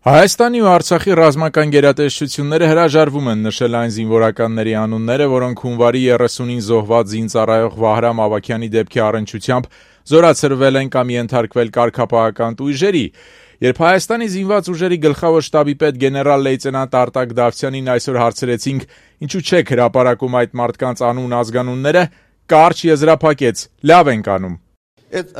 Հայաստանի ու Արցախի ռազմական գերատեսչությունները հրաժարվում են նշել այն զինվորականների անունները, որոնք հունվարի 30-ին զոհված զինծառայող Վահրամ Ավագյանի դեպքի առնչությամբ զորացրվել են կամ ենթարկվել կարգապահական տույժերի։ Երբ Հայաստանի զինված ուժերի գլխավոր շտաբի պետ գեներալ-լեյտենանտ Արտակ Դավթյանին այսօր հարցրեցինք, ինչու չեք հրապարակում այդ մարդկանց անուն ազգանունները, կարճ եզրափակեց՝ լավ ենք անում։ Այդ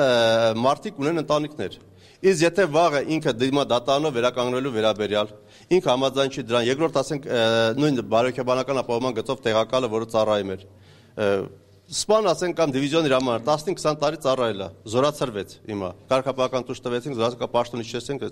մարդիկ ունեն ընտանիքներ։ Իսկ եթե վաղը ինքը դիմա դատարանով վերականգնելու վերաբերյալ, ինքը համաձայն չի դրան, երկրորդ ասենք նույն բարոյական ապահովման գծով տեղակալը, որը ծառայում էր, սպան ասենք կամ դիվիզիոն իր համար 15-20 տարի ծառայել է, զորացրվեց հիմա, կարգապահական տույժ տվեցինք, զորացրվեց պաշտոնի չեցինք,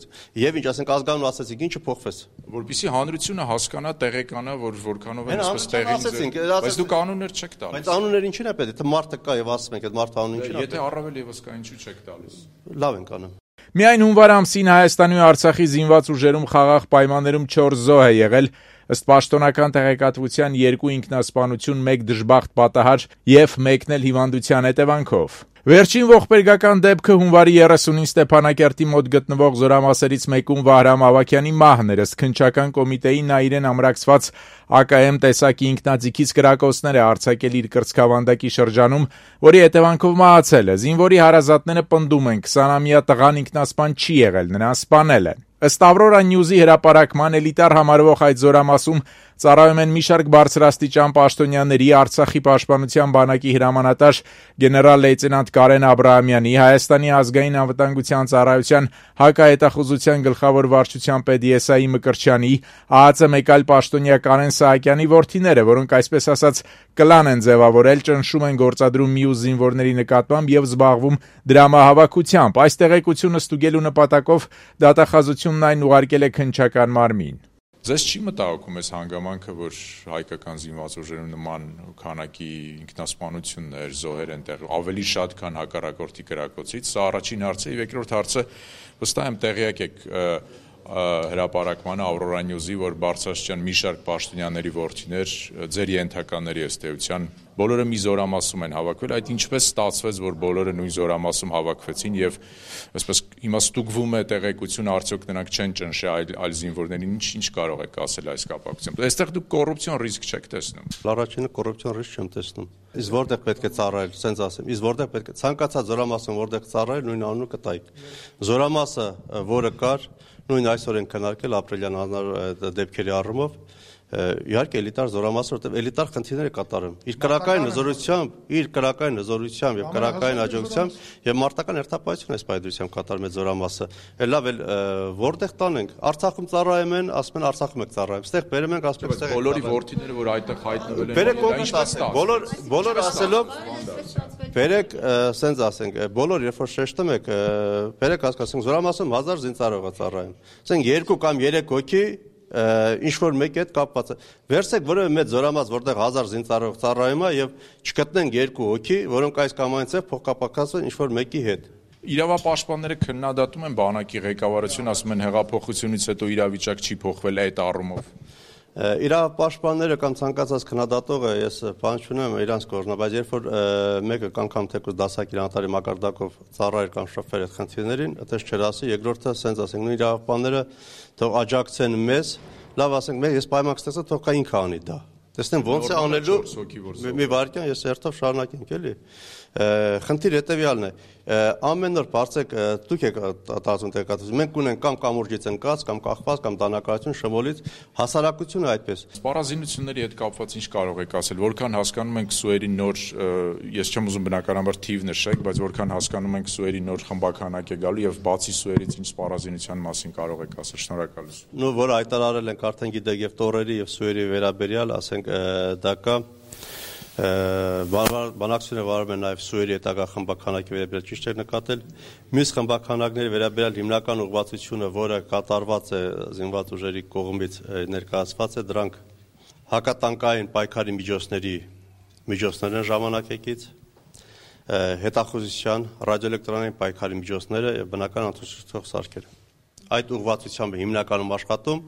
եւ ինչ ասենք ազգանուն ասեցինք, ինչը փոխվեց, որպեսզի հանրությունը հասկանա, տեղեկանա, որ որքանով են այսպես տեղին, բայց դուք անուններ չեք տալիս։ Բայց անուններ ինչին է պետք, եթե մարդը կա եւ ասում ենք, այդ մարդը անուն ինչին է։ Եթե առավել եւս կա, ինչու չեք տալիս։ Լավ ենք անում։ Միայն հունվար ամսին Հայաստանի ու Արցախի զինված ուժերում խաղաղ պայմաններում 4 զոհ է եղել, ըստ պաշտոնական տեղեկատվության 2 ինքնասպանություն, 1 դժբախտ պատահար եւ 1-ն էլ հիվանդության հետևանքով։ Վերջին ողբերգական դեպքը հունվարի 30-ին Ստեփանակերտի մոտ գտնվող զորամասերից մեկում Վահրամ Ավագյանի մահն էր, ըստ քննչական կոմիտեի նա իրեն ամրացված ԱԿՄ տեսակի ինքնաձիգից կրակոցներ է արձակել իր կրծքավանդակի շրջանում, որի հետևանքով մահացել է։ Զինվորի հարազատները պնդում են 20-ամյա տղան ինքնասպան չի եղել, նրան սպանել են։ Ըստ Ավրորա Նյուզի հրապարակման էլիտար համարվող այդ զորամասում ծառայում են մի շարք բարձրաստիճան պաշտոնյաների, Արցախի պաշտպանության բանակի հրամանատար գեներալ-լեյտենանտ Կարեն Աբրահամյանի, Հայաստանի ազգային անվտանգության ծառայության հակահետախուզության գլխավոր վարչության պետ Եսայի Մկրտչյանի, ԱԱԾ մեկ այլ պաշտոնյա Կարեն Սահակյանի որդիները, որոնք այսպես ասած կլան են ձևավորել, ճնշում են գործադրում մյուս զինվորների նկատմամբ եւ զբաղվում դրամահավաքությամբ։ Այս տեղեկությունը ստուգելու նպատակով դատախազությունն այն ուղարկել է քննչական մարմին։ Ձեզ չի մտահոգում այս հանգամանքը, որ հայկական զինված ուժերում նման քանակի ինքնասպանություններ, զոհեր են տեղի, ավելի շատ, քան հակառակորդի կրակոցից։ Սա առաջին հարցը, եւ երկրորդ հարցը վստահ եմ տեղյակ եք հրապարակմանը Ավրորա Նյուզի, որ բարձրաստիճան մի շարք պաշտոնյաների որդիներ ձեր ենթականների ըստ էության բոլորը մի զորամասում են հավաքվել, այդ ինչպես ստացվեց, որ բոլորը նույն զորամասում հավաքվեցին եւ այսպես հիմա ստուգվում է տեղեկությունը, արդյոք նրանք չեն ճնշել այլ զինվորներին, ինչ կարող եք ասել այս կապակցությամբ։ Այստեղ դուք կոռուպցիոն ռիսկ չեք տեսնում։ Առաջինը կոռուպցիոն ռիսկ չեմ տեսնում։ Իսկ որտեղ պետք է ծառայել, սենց ասեմ, իսկ որտեղ պետք է ցանկացած զորամասում որտեղ ծառայել, նույն անունը կտայք։ Զորամասը, որը կար, նույն այսօր են քննարկել ապրիլյան դեպքերի առումով, իհարկե էլիտար զորամասը, որտեղ էլիտար խնդիրներ է կատարում իր կրակային հզորությամբ եւ կրակային աջակցությամբ եւ մարտական հերթապահություն այս պայդրությամբ կատարում է զորամասը։ Լավ էլ որտեղ տանենք, Արցախում ծառայում են, ասում են Արցախում եք ծառայում, այստեղ բերում ենք ասում են բոլորի որդիները, որ այդտեղ հայտնվել են, բերեք բոլոր ասելով բերեք, սենց ասենք, բոլոր երբ որ շեշտում եք, բերեք հասկացենք զորամասում 1000 զինծառայող ծառայում, ասենք 2 կամ 3 հոգի ինչ-որ մեկի հետ կապված է։ Վերցեք որևէ մեծ զորամաս, որտեղ 1000 զինծառայող ծառայում է եւ չգտնենք 2 հոգի, որոնք այս կամ այնպես փոխկապակցված ինչ-որ մեկի հետ։ Իրավապաշտպանները քննադատում են բանակի ղեկավարությունը, ասում են հեղափոխությունից հետո իրավիճակ չի փոխվել այդ առումով։ Իրավապաշտպանները կամ ցանկացած քննադատողը ես բան չունեմ իրանց կողմը, բայց երբ որ մեկը անգամ թեկուզ դասակիր անտարի մակարդակով ծառայեր կամ շփվեր այդ խնդիրներին, այդպես չեր ասի, երկրորդը սենց ասենք, նույն իրավապաշտպանները թող աջակցեն մեզ, լավ ասենք, ես պայման կստացա, թող կա ինքը անի դա։ Տեսնեմ ոնց է անելու, մի վարքյան ես երթով շարունակենք էլի։ Խնդիր հետևյալն է, ամեն օր բարձեք դուք եք տարածում տեղեկատվություն, մենք ունենք կամ կամուրջից ընկած, կամ կախված, կամ դանակարություն շմոլից, հասարակությունը այդպես։ Սպառազինությունների հետ կապված ինչ կարող եք ասել, որքան հասկանում ենք Սուերի նոր, ես չեմ ուզում բնականաբար թիվ նշեք, բայց որքան հասկանում ենք Սուերի նոր խմբականակ է գալու եւ բացի Սուերից ինչ սպառազինության մասին կարող եք ասել, շնորհակալություն։ Նու որ հայտարարել ենք արդեն գիտեք եւ տորերի եւ Սուերի վերաբերյալ, ասենք դա կա բանակցությունը վարում է նաև Սուերի հետագա խմբականակի վերաբերյալ ճիշտ է նկատել։ Մյուս խմբականակների վերաբերյալ հիմնական ուղղվածությունը, որը կատարված է զինված ուժերի կողմից ներկայացված է, դրանք հակատանկային պայքարի միջոցներն են ժամանակակից, հետախուզության, ռադիոէլեկտրոնային պայքարի միջոցները եւ բնական անցուդարձող սարքերը։ Այդ ուղղվածությամբ հիմնականում աշխատում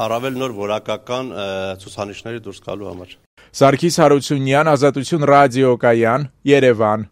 առավել նոր որակական ցուցանիշների դուրս գալու համար։ Սարգիս Հարությունյան, Ազատություն ռադիոկայան, Երևան։